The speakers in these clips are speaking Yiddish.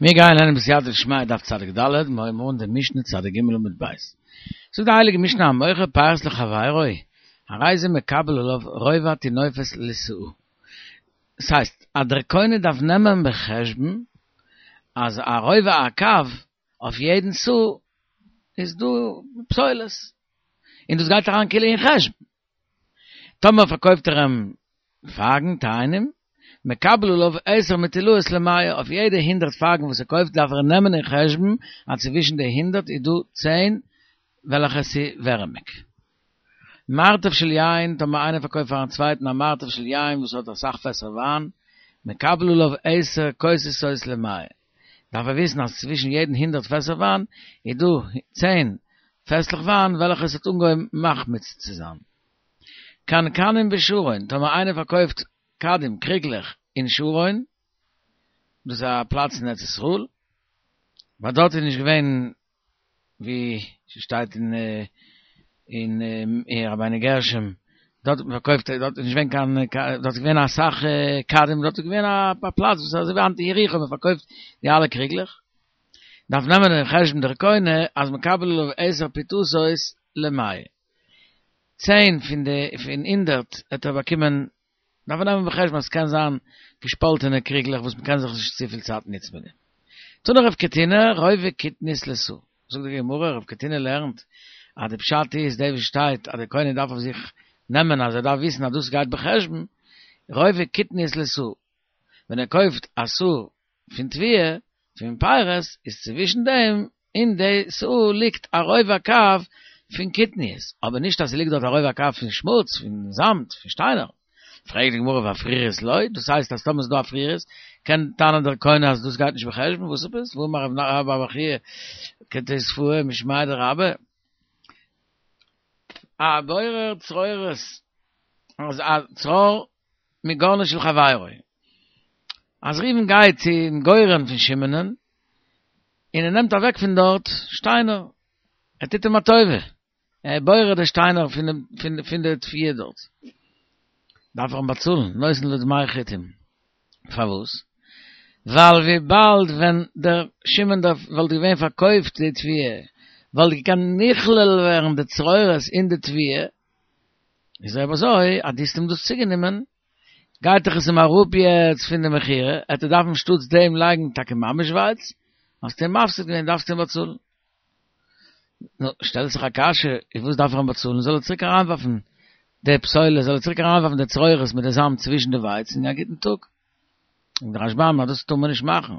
מיר גייען לערנען בסייעתא דשמיא דף צדיק ד', מיר הייבן אן די משנה צדיק ג' עמוד ב'. זאגט די הייליגע משנה המוכר פירות לחבירו, הרי זה מקבל עליו רובע טינופת לסאה. דאס הייסט אז דער קונה דארף נעמען בחשבון אז א רובע הקב אויף יעדן סאה איז דא פסולת, און דאס גייט אריין כאילו אין חשבון. טאמער פארקויפט ער אים פייגן, תאנים, מקבל עליו עשר מטולאות למאה, אויף יעדע הונדרעט פייגן וואס ער קויפט דארף ער נעמען אין חשבון אז צווישן די הונדרעט איז דא צען וועלכע ס'איז ווערעמיג. מרתף של יין, טאמער איינער פארקויפט פארן צווייטן א מרתף של יין וואס האט אסאך פעסער וויין, מקבל עליו עשר כוסות למאה, דארף ער וויסן אז צווישן יעדן הונדרעט פעסער וויין איז דא צען פעסלעך וויין וועלכע עס האט אנגעהויבן מחמיץ צו זיין. קנקנים בשרון, טאמער איינער פארקויפט כדים, קריגלעך, אין שרון, דאס איז א פלאץ אין ארץ ישראל, ווייל דארט איז נישט געווען ווי ס'שטייט אין אין אין רבינו גרשום, דארט האט מען פארקויפט, דארט איז נישט געווען קיין, דארט איז געווען אסאך כדים, דארט איז געווען א פלאץ וואס אזוי ווי היינט אין יריחו מען פארקויפט די אלע קריגלעך, דארף נעמען אין חשבון דער קונה אז מקבל עליו עשר פתותות למאה, צען פון די פון הונדערט וועט ער באקומען, דארף ער נעמען בחשבון אז ס'קען זיין געשפאלטענע קריגלעך וואס מ'קען זיך נישט צופיל צייט נוצן מיט דעם. תני רב קטינא רובע קטנית לסאה, זאגט די גמרא, רב קטינא לערנט אז די פשט איז די וואס שטייט אז די קונה דארף אויף זיך נעמען אז ער דארף וויסן אז דאס גייט בחשבון, רובע קטנית לסאה, ווען ער קויפט א סאה פון תבואה, פון פירות, איז צווישן דעם אין די סאה ליגט א רובע הקב פון קטניות, אבער נישט אז ס'ליגט דארט א רובע הקב פון שמוץ, פון זאמד, פון שטיינער. פרעגט די גמרא ואפרירית לא, דאס הייסט אז טאמער ס'איז דא אפרירית, קען טענה'ן דער קונה אז דאס גייט נישט בחשבון, וואס עפעס? והאמר רבה בר בר חייא כתוספאה משמיה דרבה, הבורר צרורות, אז א צרור מגרנו של חברו. אז ראובן גייט צום גורן פון שמעונ'ען, און ער נעמט אוועק פון דארט שטיינער, ער טוט אים א טובה, ער בורר די שטיינער פון די תבואה דארט, דארף ער אים באצאלן, נותן לו דמי חטים. פארוואס? ווייל וויבאלד ווען דער שמעון דארף וואלט געווען פארקויפט די תבואה, וואלט געקענט נכלל ווערן די צרורות אין די תבואה, איז אויב אזוי אז דו האסט אים דאס צוגענומען, גייט דאך עס אים אראפ יעצט פון די מכירה, עט ער דארפן שטאטס דעם לייגן טאקע ממש ווייץ, האסטו אים מפסיד געווען דארפסטו אים באצאלן. נו, שטעלט זיך א קשיא, איז וואס דארף ער אים באצאלן, זאל ער צוריק אריינווארפן די פסולת, זאל ער צוריק אריינווארפן די צרורות מיט די זאמד צווישן די ווייץ און א גוטן טאג. זאגט דער רשב"ם אז דאס טאר מען נישט מאכן,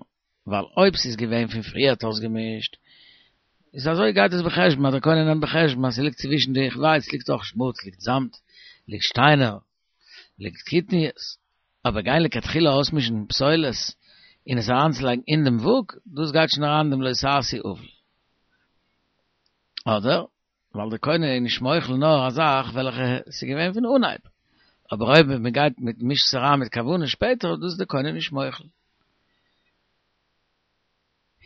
ווייל אויב ס'איז געווען פון פריערט אויסגעמישט, איז אזוי גייט עס בחשבון אז דער קונה נעמט בחשבון אז ס'ליגט צווישן די ווייץ ליגט אויך שמוץ, ליגט זאמד, ליגט שטיינער, ליגט קטניות, אבער גיין לכתחילה אויסמישן פסולת און עס אריינצולייגן אין דעם וואג, דאס גייט שוין אריין אין דעם לא תעשו עול. אדער ווייל דער קונה איז נישט מוחל נאר א זאך וועלכע ס'איז געווען פון אנהייב, אבער אויב מען גייט מיט מישט עס אריין מיט כוונה שפעטער, דאס איז דער קונה נישט מוחל.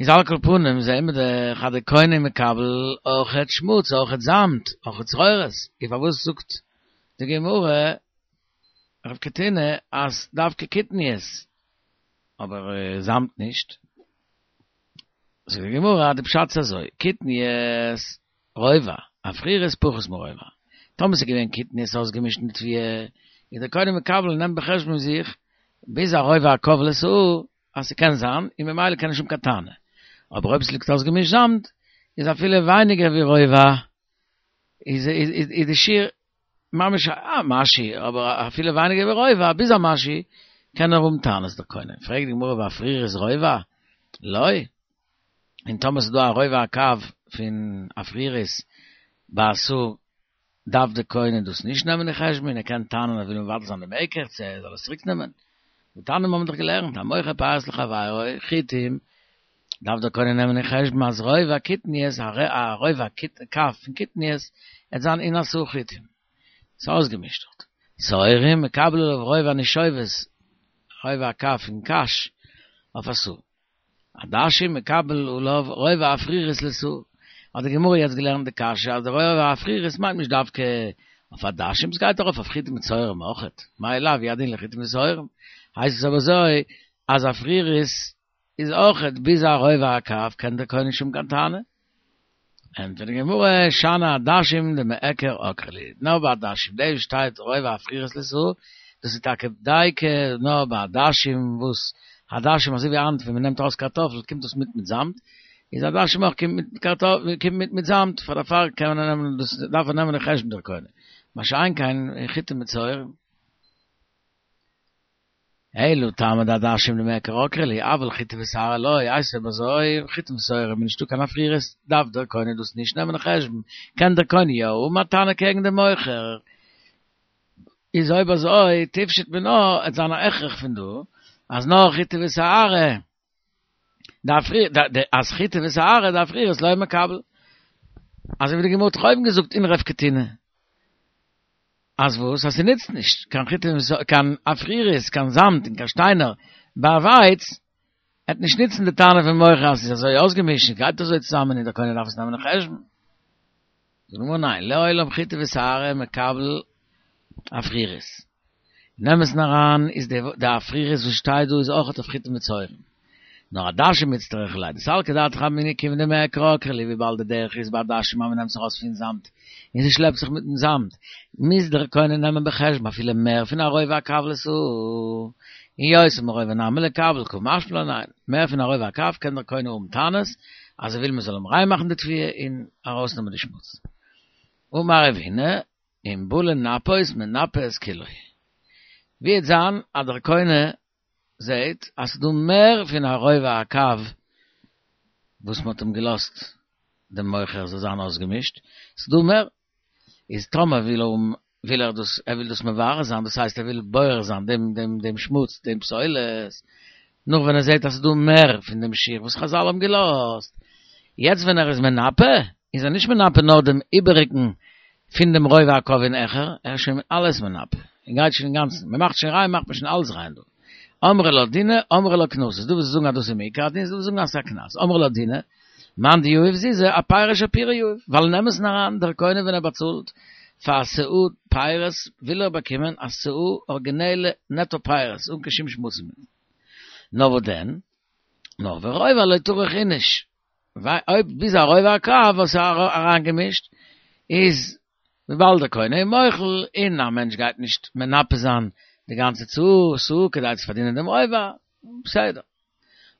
איז על כל פנים זעהן מיר דאך אז דער קונה מקבל אויכעט שמוץ, אויכעט זאמד, אויכעט צרורות, איז פארוואס זאגט די גמרא רב קטינא אז דווקא קטניות אבער זאמד נישט? זאגט די גמרא אז די פשט איז אזוי, קטניות רובע, אפרירית פחות מרובע, טאמער ס'איז געווען קטניות אויסגעמישט מיט תבואה, איז דער קונה מקבל נעמט בחשבון זיך ביז א רובע הקב לסאה אז ס'קען זיין, און ממילא קען נישט האבן קיין טענה. אבער אויב ס'ליגט אויסגעמישט זאמד, איז אפילו ווייניגער ווי רובע, איז איז די שיעור ממש א משהו, אבער אפילו ווייניגער ווי רובע, ביז א משהו, קען ער האבן טענות דער קונה. פרעגט די גמרא ואפרירית רובע? לא. און טאמער ס'איז דא א רובע הקב פון אפרירית ביי א סאה דארף די קונה דאס נישט נעמען אין חשבון און ער קען טענה'ן ער וויל מבטל זיין דעם מקח צו ער זאל עס צוריק נעמען. והתניא מיר האבן דאך געלערנט המוכר פירות לחבירו חיטים דארף דער קונה נעמען אין חשבון אז רובע קטניות א רובע הקב פון קטניות עט זיין אין א סאה חיטים. ס'איז אויסגעמישט דארט. שעורים מקבל עליו רובע נישובות רובע הקב פון קש אויף א סאה. עדשים מקבל עליו רובע אפרירית לסאה, האט די גמרא יעצט געלערנט די קשיא אז די רובע אפרירית מיינט נישט דווקא אויף עדשים, ס'גייט ארויף אויף חיטים ושעורים אויכעט, מאי לאו הוא הדין לחיטים ושעורים, הייסט עס אבער אזוי אז אפרירית. איז אויכעט ביז א רובע הקב קען דער קונה נישט האבן קיין טענה. ענטפערט די גמרא, שאני עדשים דמעקר עקרי להו, נאר ביי עדשים, דאס וואס שטייט רובע אפרירית לסאה, דאס איז טאקע דייקא נאר ביי עדשים וואס עדשים אזוי ווי היינט ווען מען נעמט ארויס קארטאפל קומט דאס מיט מיט זאמד, איז עדשים אויך קומט מיט קארטאפל קומט מיט מיט זאמד, פאר דערפאר קען מען נעמען דאס דארף ער נעמען אין חשבון דער קונה, מה שאין כן אין חיטים מיט שעורים. אלא טעמא דעדשים דמעקר עקרי להו, אבל חיטה ושערה לא, הייסט אויב אזוי, חיטה ושעורה איז נישטא קיין אפרירית, דארף דער קונה דאס נישט נעמען אין חשבון, קען דער קונה יא האבן א טענה קעגן דעם מוכר, איז אויב אזוי תפשוט מינה עט זיין א הכרח פון דא אז נאר חיטה ושערה אז חיטה ושערה דאפרירית לא מקבל, אזוי ווי די גמרא האט דאך אויבן געזאגט אין רב קטינא. אז וואס? אז ס'נוצט נישט קיין חיטה קיין אפרירית, קיין זאמד און קיין שטיינער ביי ווייץ, עט נישט נוצן די טענה פון מוכר אז ס'איז אזוי אויסגעמישט און גייט אזוי צוזאמען און דער קונה דארף עס נעמען אין חשבון. זאגט די גמרא ניין, לעולם חיטה ושערה מקבל אפרירית. אין אמת'ן אריין איז די אפרירית וואס שטייט דא איז אויכעט אויף חיטים ושעורים. נאר עדשים איצטריכא ליה, דסלקא דעתך אמינא כיון דמעקר עקרי להו וויבאלד די דרך איז ביי עדשים אז מ'נעמט זיך ארויס פון זאמד און ס'שלעפט זיך מיטן זאמד מוז דער קונה נעמען בחשבון אפילו מער פון א רובע הקב לסאה און יותר מרובע נמי ליקבל קא משמע לן ניין מער פון א רובע הקב קען דער קונה האבן טענות אז ער וויל מ'זאל אים ריין מאכן די תבואה און ארויסנעמען די שמוץ. אמר רב הונא אם בא לנפות מנפה את כולו ווי וועט זיין אז דער קונה זעהט אז ס'דא מער פון א רובע הקב וואס מ'האט אים געלאזט דעם מוכר זאל זיין אויסגעמישט, ס'דא מער, איז טאמער וויל ער וויל ער דאס ער וויל דאס מברר זיין דאס הייסט ער וויל בורר זיין דעם דעם דעם שמוץ דעם פסולת, נאך ווען ער זעהט אז ס'דא מער פון דעם שיעור וואס חזל האבן געלאזט, יעצט ווען ער איז מנפה איז ער נישט מנפה נאר דעם איבעריגן פון דעם רובע הקב און העכער, ער איז שוין אלעס מנפה, ער גייט שוין אינגאנצן, מען מאכט שוין ריין מאכט מען שוין אלעס ריין דא. אמרי לה דינא, אמרי לה קנסא, ס'איז דא וואס זאגן אז דאס איז מעיקר הדין, ס'איז דא וואס זאגן אז ס'איז א קנס, אמרי לה דינא, מאן דיהיב זוזי, אפירא שפירא יהיב, ווייל אין אמת'ן אריין, דער קונה ווען ער באצאלט פאר א סאה פירות, וויל ער באקומען א סאה ארגינעלע נעטא פירות, אן קיין שום שמוצים. נאר וואס דען? נאר ורובע לא טרח איניש. אויב ביז א רובע הקב וואס איז אריינגעמישט איז וויבאלד דער קונה איז מוחל און א מענטש גייט נישט מנפה זיין די גאנצע סאה כדי צו פארדינען דעם רובע, בסדר.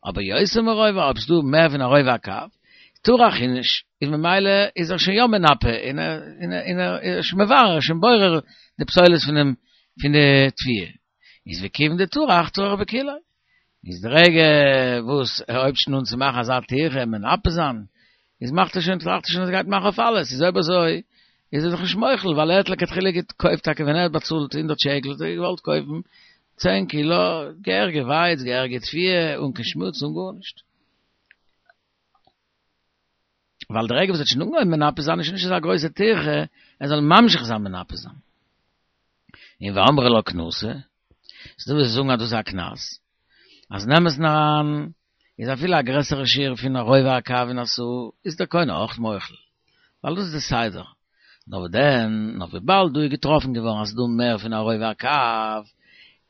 אבער יותר מרובע אויב ס'דא מער פון א רובע הקב, טרח איניש, איז ממילא איז ער שוין יא מנפה און און ער איז שוין מברר, ער איז שוין בורר די פסולת פונעם פון די תבואה. איז וכיון דטרח טרח בכולו. איז די רגע וואס ער הויבט שוין אן צו מאכן אזא טירחה און מנפה זיין, איז מאכט ער שוין, טראכט ער שוין אז ער גייט מאכן אויף אלעס, איז אויב אזוי איז ער דאך נישט מוחל, ווייל ער האט לכתחילה געקויפט טאקע ווען ער האט באצאלט הונדערט שקל האט ער געוואלט קויפן צען קילא געהעריגע ווייץ, געהעריגע תבואה, אן קיין שמוץ אן גארנישט. ווייל די רגע וואס ער האט שוין אנגעהויבן מנפה זיין איז שוין נישט אזא גרויסע טירחה ער זאל ממשיך זיין מנפה זיין. און ואמרי לה קנסא, ס'דא וואס זאגן אז דאס איז א קנס, אז אין אמת'ן אריין איז אפילו א גרעסערע שיעור פון א רובע הקב אין א סאה איז דער קונה אויך מוחל, ווייל דאס איז די סדר. נאר וואס דען, נאר וויבאלד דא איז געטראפן געווארן אז ס'איז דא מער פון א רובע הקב,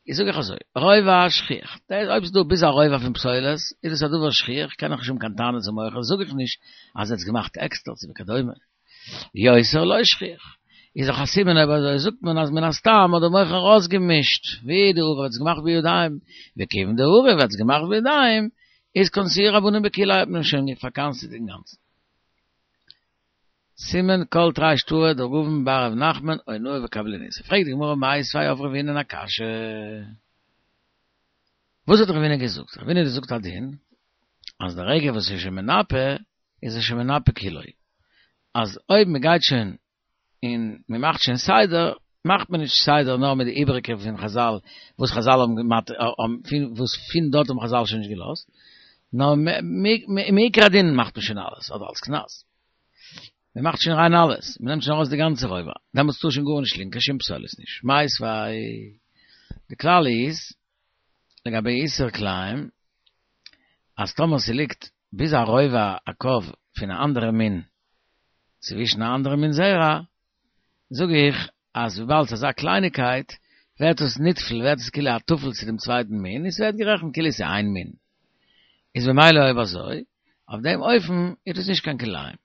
איז זאג איך אזוי, רובע שכיח, אויב ס'איז דא ביז א רובע פון פסולת, איז עס א דבר שכיח, קען איך נישט האבן קיין טענה צום מוכר, זאג איך נישט אז ער האט עס געמאכט עקסטער צו וכדומה. יותר לא שכיח, איז דאך א סימן אויב אזוי זאגט מען אז מן הסתם האט דער מוכר אויסגעמישט, ווי דעריב האט עס געמאכט בידיים, וכיוון דעריב האט עס געמאכט בידיים, איז קנסוהו רבנן בכוליה האט מען אים שוין פארקנס'עט אינגאנצן. סימן כל תרי שטרי דרבין בר רב נחמן אונאה וקבלנות. פרעגט די גמרא מיתיבי אויף רב הונא'ן א קשיא. וואס האט רב הונא געזאגט? רב הונא האט געזאגט א דין אז די רגע וואס איז שוין מנפה איז ער שוין מנפה כולו. אז אויב מען גייט שוין און מען מאכט שוין סדר, מאכט מען נישט סדר נאר מיט די איבעריגע פון חזל וואס חזל האבן געמאכט, וואס פון דארט האבן חזל שוין נישט געלאזט, נאר מעיקר הדין מאכט מען שוין אלעס, אדער אלס קנס. מען מאכט שוין ריין אלעס, מען נעמט שוין ארויס די גאנצע רובע, דעמאלטס טאר שוין גארנישט ליגן, קיין שום פסולת נישט. מיתיבי, די כלל איז, לגבי איסור כלאים, אז טאמער ס'ליגט ביז א רובע הקב פון א אנדערע מין צווישן א אנדערע מין זרע, זאג איך אז וויבאלד ס'איז אזא קלייניקייט ווערט עס נטפל, ווערט עס כאילו א טפל צו דעם צווייטן מין, און ס'ווערט גערעכנט כאילו ס'איז איין מין. איז במילא אויב אזוי, אויף דעם אופן איז דאס נישט קיין כלאים.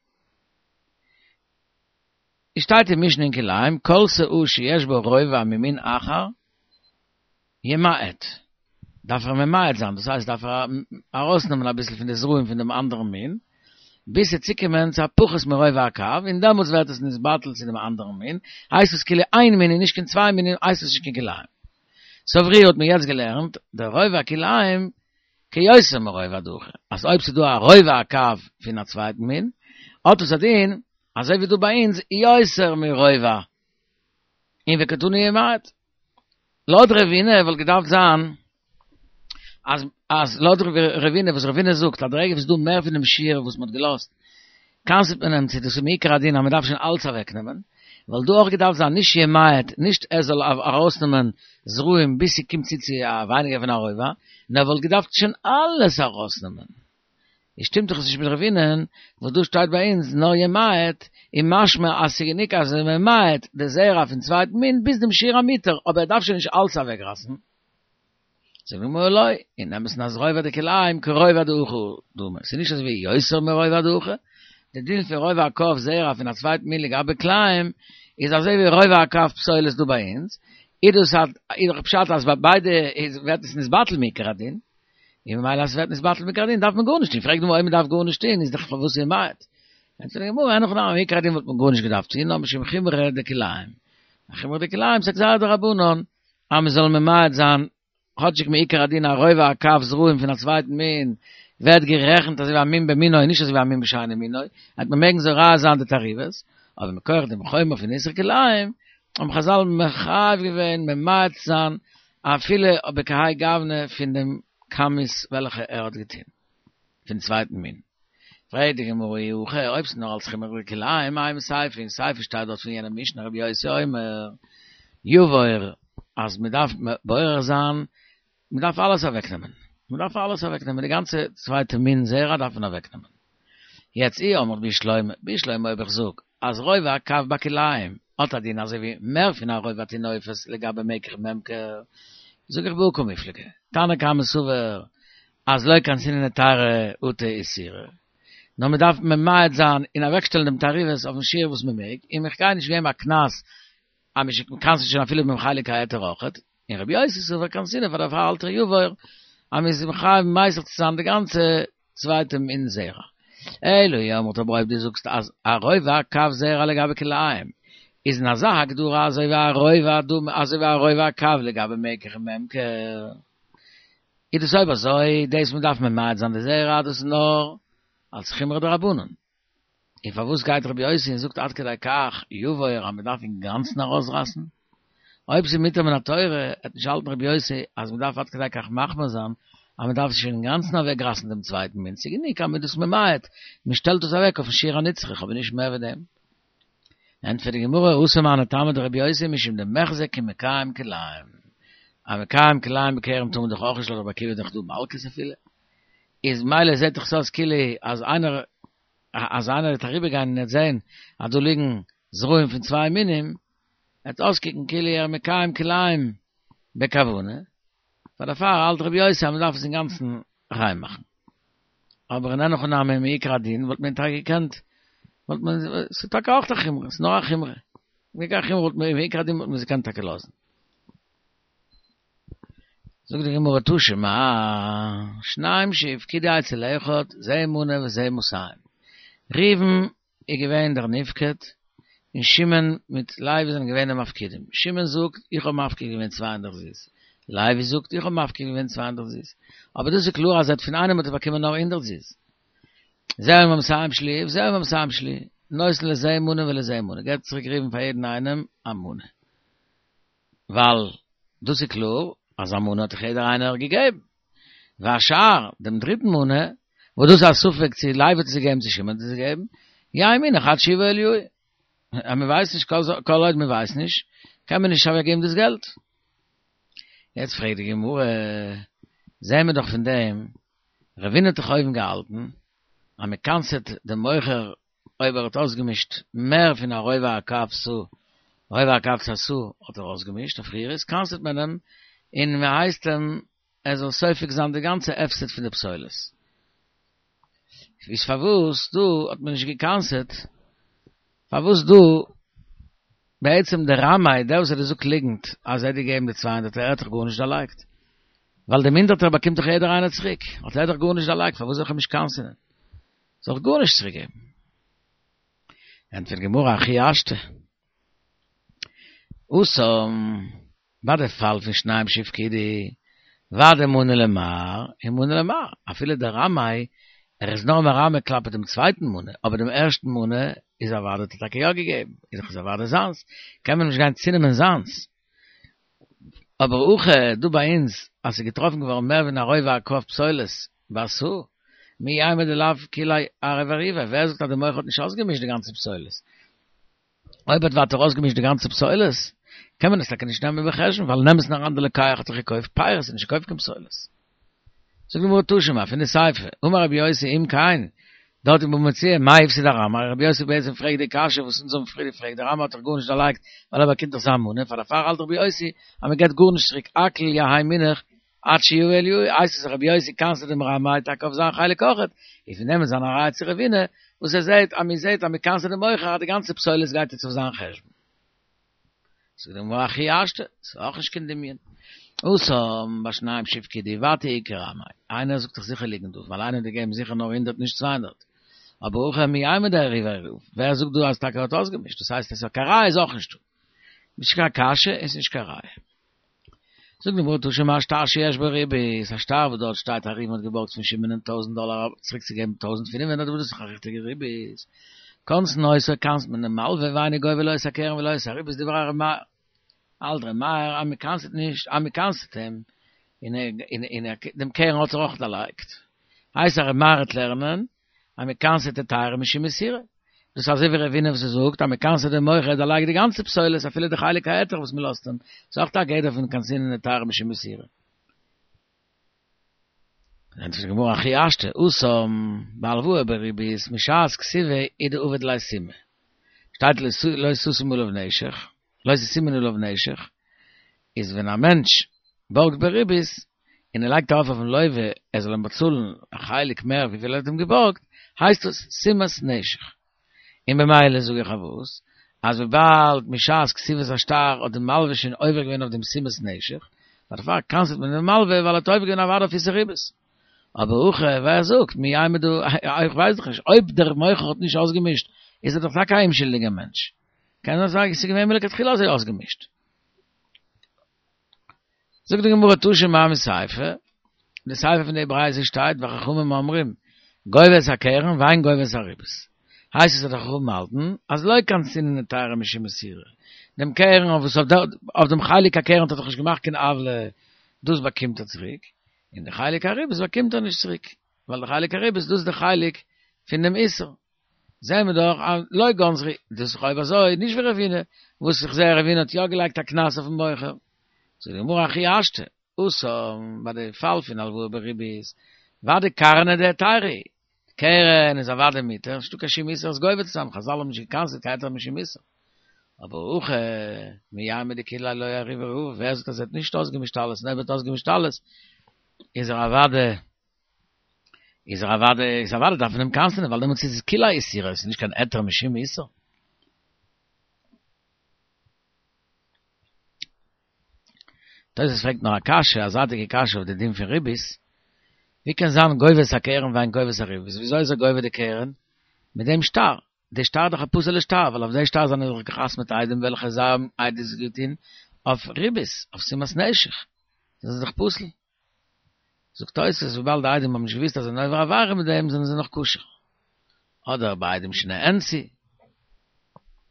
עס שטייט אין משנה אין כלאים, כל סאה שיש בה רובע ממין אחר, ימעט. דארף ער ממעט זיין, דאס הייסט דארף ער ארויסנעמען אביסל פון די זרעים פון דעם אנדערן מין, ביז ס'וועט צוקומען צו א פחות מרובע הקב, און דעמאלטס ווערט עס נתבטל צו דעם אנדערן מין, הייסט עס כאילו איין מין און נישט קיין צוויי מינים, הייסט עס נישט קיין כלאים. סאו פריער האט מען יעצט געלערנט, דער רובע כלאים כיותר מרובע דוחה, אז אויב ס'איז דא א רובע הקב פון א צווייטן מין, האט עס א דין אזוי ווי דא ביי אונז יותר מרובע, און וקתני ימעט. לויט רבינא וואלט געדארפט זיין אז אז לויט רבינא וואס רבינא זאגט אז די רגע וואס איז דא מער פון דעם שיעור וואס מ'האט געלאזט קנס'ט מען אים צו דאס איז מעיקר הדין אז מ'דארף שוין אלץ אוועקנעמען וואלט דא אויך געדארפט זיין נישט ימעט נישט ער זאל ארויסנעמען זרעים ביז ס'קומט צו צו א ווייניגער פון א רובע נאר וואלט געדארפט שוין אלעס ארויסנעמען. איז שטימט דאך עס נישט מיט רבינא'ן, וואס דא שטייט ביי אונז נאר ימעט, איז משמע אז ס'איז גענוג אז ער ממעט די זרע פון צווייטן מין ביז דעם שיעור המותר, אבער ער דארף שוין נישט אלץ אוועקרייסן. זאגט די גמרא לא, אין אמת'ן אז רובע דכלאים כרובע דאחור דמי, ס'איז נישט אזוי ווי יותר מרובע דאחור, די דין פון רובע הקב זרע פון א צווייטן מין לגבי כלאים איז אזוי ווי רובע הקב פסולת דא ביי אונז, איז דאס איז דאך פשט אז ביי ביידע איז ווערט עס נתבטל מעיקר הדין. און ממילא אז ס'ווערט נתבטל מעיקר הדין דארף מען גארנישט טון, פרעגט די גמרא אויב מ'דארף גארנישט טון איז דאך פארוואס ימעט? ענטפערט די גמרא אין הכי נמי מעיקר הדין וואלט מען גארנישט געדארפט טון נאר משום חומרא דכלאים, א חומרא דכלאים ס'איז א גזירה דרבנן אז מ'זאל ממעט זיין כאטשיג מעיקר הדין א רובע הקב זרעים פון א צווייטן מין ווערט גערעכנט אזוי ווי א מין במינו און נישט אזוי ווי א מין בשאינו מינו, וועט מען מעגן זורע זיין די תערובות, אבער מכח דעם חומר פון איסור כלאים האבן חזל מחייב געווען ממעט זיין אפילו בכהאי גוונא פון דעם כמות וועלכע ער האט געטון פון צווייטן מין. פרעגט די גמרא אי הכי, אויב ס'איז נאר אלס חומרא דכלאים, אימא סיפא, אין סיפא שטייט דארט פון יענע משנה רבי יוסי אומר יבור אז מ'דארף בורר זיין, מ'דארף אלעס אוועקנעמען, מ'דארף אלעס אוועקנעמען, די גאנצע צווייטע מין זרע דארף מען אוועקנעמען. יעצט אי אמרת בשלמא, בשלמא אויב איך זאג אז רובע הקב בכלאים האט א דין אזוי ווי מער פון א רובע טינופת לגבי מקח וממכר, זאג איך בהא קמיפלגי, תנא קמא סבר אז לא קנסינן לתרא אטו איסורא, נאר מען דארף ממעט זיין און אוועקשטעלן דעם תערובת אויפן שיעור וואס מען מעג, און איך גיי נישט געבן א קנס אז מען קנס'ט שוין אפילו ביים חלק ההיתר אויכעט, און רבי יוסי סבר קנסינן פאר דערפאר האלט ער יבור אז מען איז מחויב מסיח צו זיין די גאנצע צווייטע מין זרע. אלא אי אמרת אבער אויב דו זאגסט אז א רובע הקב זרע לגבי כלאים איז אין אזא הגדרה אזוי ווי א רובע דמי אזוי ווי א רובע הקב לגבי מקח וממכר איז דאס אויב אזוי דאס מען דארף ממעט זיין די זרע דאס איז נאר אלס חומרא דרבנן. און פארוואס גייט רבי יוסי און זאגט עד כדי כך יבור אז מען דארף אינגאנצן ארויסרייסן? אויב ס'איז מותר מן התורה וועט נישט האלטן רבי יוסי אז מען דארף עד כדי כך מחמיר זיין אז מען דארף שוין אינגאנצן אוועקרייסן דעם צווייטן מין, ס'איז גענוג אז מען איז דאס ממעט, מען שטעלט דאס אוועק אויפן שיעור הנצרך אבער נישט מער ווי דעם. ענטפערט די גמרא, התם הני טעמא דרבי יוסי משום דמיחזי כמקיים כלאים, א מקיים כלאים בכרם טאר מען דאך אויך נישט לויט רבי עקיבא איז דאך דא מלקות אפילו, איז מילא זעט דאך אויס כאילו אז איינער אז איינער וועט אריבער גיין און ער וועט זען אז דא ליגן זרעים פון צוויי מינים, וועט אויסקוקן כאילו ער איז מקיים כלאים בכוונה, פאר דערפאר האלט רבי יוסי אז מען דארף עס אינגאנצן ריין מאכן. אבער אין הכי נמי מעיקר הדין וואלט מען טאקע געקענט וואלט מען ס'איז טאקע אויך א חומרא, ס'איז נאר א חומרא, מעיקר החומרא וואלט מען מעיקר הדין וואלט מען עס געקענט טאקע לאזן. זאגט די גמרא תא שמע, שניים שהפקידו אצל אחד, זה מנה וזה מאתים. ראובן איז געווען דער נפקד, און שמעון מיט לוי זענען געווען די מפקידים. שמעון זאגט, איך האב מפקיד געווען 200 זוז. לוי זאגט, איך האב מפקיד געווען 200 זוז. אבער דאס איז קלאר אז ער האט פון איינעם האט ער באקומען נאר 100 זוז. זה אומר מאתים שלי, וזה אומר מאתים שלי. נותן לזה מנה ולזה מנה. געבט צוריק ראובן פאר יעדן איינעם א מנה. ווייל דאס איז קלאר אז א מנה האט דאך יעדער איינער געגעבן. והשאר, דעם דריטן מנה, וואס דאס איז א ספק צו לוי האט עס געגעבן צו שמעון האט עס געגעבן, יהא מונח עד שיבא אליהו. אז מען ווייסט נישט, כל עוד מען ווייסט נישט, קען מען נישט אוועקגעבן דאס געלט. יעצט פרעגט די גמרא, זעען מיר דאך פון דעם, רבינא האט דאך אויבן געהאלטן אז מען קנס'עט דעם מוכר אויב ער האט אויסגעמישט מער פון א רובע הקב סאה, רובע הקב צו א סאה האט ער אויסגעמישט אויף פריער איז קנס'עט מען אים און מען הייסט אים ער זאל סופג זיין די גאנצע הפסד פון די פסולת. איז פארוואס דא האט מען נישט געקנס'עט? פארוואס דא בעצם דער רמאי, דער וואס האט געזאגט ליגנט אז ער האט געגעבן די 200 ער האט דאך גארנישט דערלייגט, ווייל דעם הונדערטער באקומט דאך יעדער איינער צוריק, האט ער דאך גארנישט דערלייגט, פארוואס זאל איך אים נישט קנס'ענען? זאל איך גארנישט צוריק געבן? ענטפערט די גמרא הכי השתא. התם, ביי די פאל פון שניים שהפקידו, ודאי מנה למר ומנה למר, אפילו דער רמאי, ער איז נאר מרמה כלפי דעם צווייטן מנה, אבער דעם ערשטן מנה איז אוודאי האט ער טאקע יא געגעבן, איז דאך עס אוודאי זיינס, קען מען נישט גיין צונעמען זיינס. אבער הכא דא ביי אונז אז ס'איז געטראפן געווארן מער ווי א רובע הקב פסולת בסאה, מי יימר דלאו כוליה ערב עירוביה, ווער זאגט אז די מוכר האט נישט אויסגעמישט די גאנצע פסולת? אויב האט ווייטער אויסגעמישט די גאנצע פסולת, קען מען עס טאקע נישט נעמען בחשבון, ווייל אין אמת'ן אריין די לוקח האט זיך געקויפט פירות און נישט געקויפט קיין פסולת. זאגט די גמרא תא שמע, פון די סיפא, אמר רבי יוסי אם כן, דארט אין בבא מציעא, מאי הפסיד הרמאי, רבי יוסי בעצם פרעגט די קשיא וואס אונז האבן פריער געפרעגט, דער רמאי האט דאך גארנישט דערלייגט ווייל ער באקומט דאך זיין מנה, פאר דערפאר האלט רבי יוסי אז מען געבט גארנישט צוריק, הכל יהא מונח עד שיבא אליהו, הייסט עס אז רבי יוסי קנס'ט דעם רמאי טאקע אויף זיין חלק אויכעט, און פון דעם איז זיין א ראיה צו רבינא, וואס ער זעהט אז מען זעהט אז מען קנס'ט דעם מוכר אז די גאנצע פסולת גייט יעצט אויף זיין חשבון. זאגט די גמרא הכי השתא, ס'איז אויך נישט קיין דמיון. התם בשניים שהפקידו ודאי איכא רמאי, איינער זאגט דאך זיכער ליגנט דא, ווייל איינער האט געגעבן זיכער נאר הונדערט נישט 200. אבער הכא מי יימר דערב עירוב, ווער זאגט דא אז טאקע ער האט אויסגעמישט, דאס הייסט אז קיין ראיה איז אויך נישטא. נישט קיין קשיא און ס'איז נישט קיין ראיה. זאגט די גמרא תא שמע שטר שיש בו ריבית, א שטר וואס דארט שטייט אז ראובן האט געבארגט פון שמעון טויזנט דאלאר צוריק צו געבן 1500 וואס דאס איז דאך א ריכטיגע ריבית, קונסין אותו קנס'ט מען דעם מלווה ואינו גובה לא את הקרן ולא את הריבית דברי ר' מאיר האלט ר' מאיר אז מען קנס'ט נישט אז מען קנס'ט אים און און דעם קרן האט ער אויך דערלייגט הייסט אז ר' מאיר וועט לערנען אז מען קנס'ט היתירא משום איסורא. דאס איז אזוי ווי רבינא וואס ער זאגט אז מען קנס'ט דעם מוכר ער דערלייגט די גאנצע פסולת אפילו די חלק ההיתר וואס מען לאזט אים, איז אויך א גדר פון קנסינן היתירא משום איסורא. ענטפערט די גמרא הכי השתא, התם בהלוואה בריבית משעת כתיבה הוא דעבד ליה סימא. שטייט לא תשים עליו נשך, לא תשימון עליו נשך, איז ווען א מענטש בארגט בריבית, און ער לייגט ארויף אויפן לווה ער זאל אים באצאלן א חלק מער וויפיל ער האט אים געבארגט, הייסט עס שימת נשך. און במילא זאג איך אויף וואס, אז וויבאלד משעת כתיבת השטר האט די מלווה שוין עובר געווען אויף דעם שימת נשך, דערפאר קנס'ט מען דעם מלווה ווייל ער האט עובר געווען אוודאי אויף איסור ריבית. אבער הכא, ווער זאגט, מי יימר דא, איך ווייס דאך נישט, אויב דער מוכר האט נישט אויסגעמישט, איז ער דאך טאקע א אומשולדיגער מענטש. קען זיין ס'איז געווען מלכתחילה אזוי אויסגעמישט. זאגט די גמרא תא שמע מסיפא, די סיפא פון די ברייתא שטייט וחכמים אומרים גובה את הקרן ואין גובה את הריבית. הייסט עס אז די חכמים האלטן אז לא קנסינן היתירא משום איסורא, דעם קרן אויף וואס אויף דעם חלק הקרן האט ער דאך נישט געמאכט קיין עוולה, דאס באקומט ער צוריק, און די חלק הריבית באקומט ער נישט צוריק, ווייל די חלק הריבית דאס איז די חלק פון דעם איסור. זעהן מיר דאך אז לא גנזו, דאס איז אויב אזוי נישט ווי רבינא, וואס איך זעה רבינא האט יא געלייגט א קנס אויפן מוכר. זאגט די גמרא הכי השתא, התם, ביי די פאל פון הלוואה בריבית, ודאי קרנא דהיתרא, קרן איז אוודאי מותר, נישטא קיין שום איסור עס גובה צו זיין, חזל האבן נישט געקנס'ט קיין היתר משום איסור. אבער הכא, מי יימר דכוליה לא עירב ווער זאגט אז ער האט נישט אויסגעמישט אלעס, און אויב ער האט אויסגעמישט אלעס, איז ער אוודאי איז ער אוודאי, איז אוודאי דארף מען אים קנס'ענען, ווייל דעמאלטס איז עס כוליה איסורא, עס איז נישט קיין היתר משום איסור. תוס' פרעגט נאך א קשיא, א זייטיגע קשיא אויף די דין פון ריבית, ווי קען זיין גובה את הקרן ואין גובה את הריבית, וויאזוי איז ער גובה די קרן? מיט דעם שטר, די שטר איז דאך א פסול'ע שטר, ווייל אויף די שטר זענען דאך געחתמ'עט עדים וועלכע זיי האבן עדות געטון אויף ריבית, אויף שימת נשך, דאס איז דאך פסול. זאגט תוס' וויבאלד די עדים האבן נישט געוואוסט אז זיי זענען עובר עבירה מיט דעם זענען זיי נאך כשר. אדער ביי עדים שנאנסו.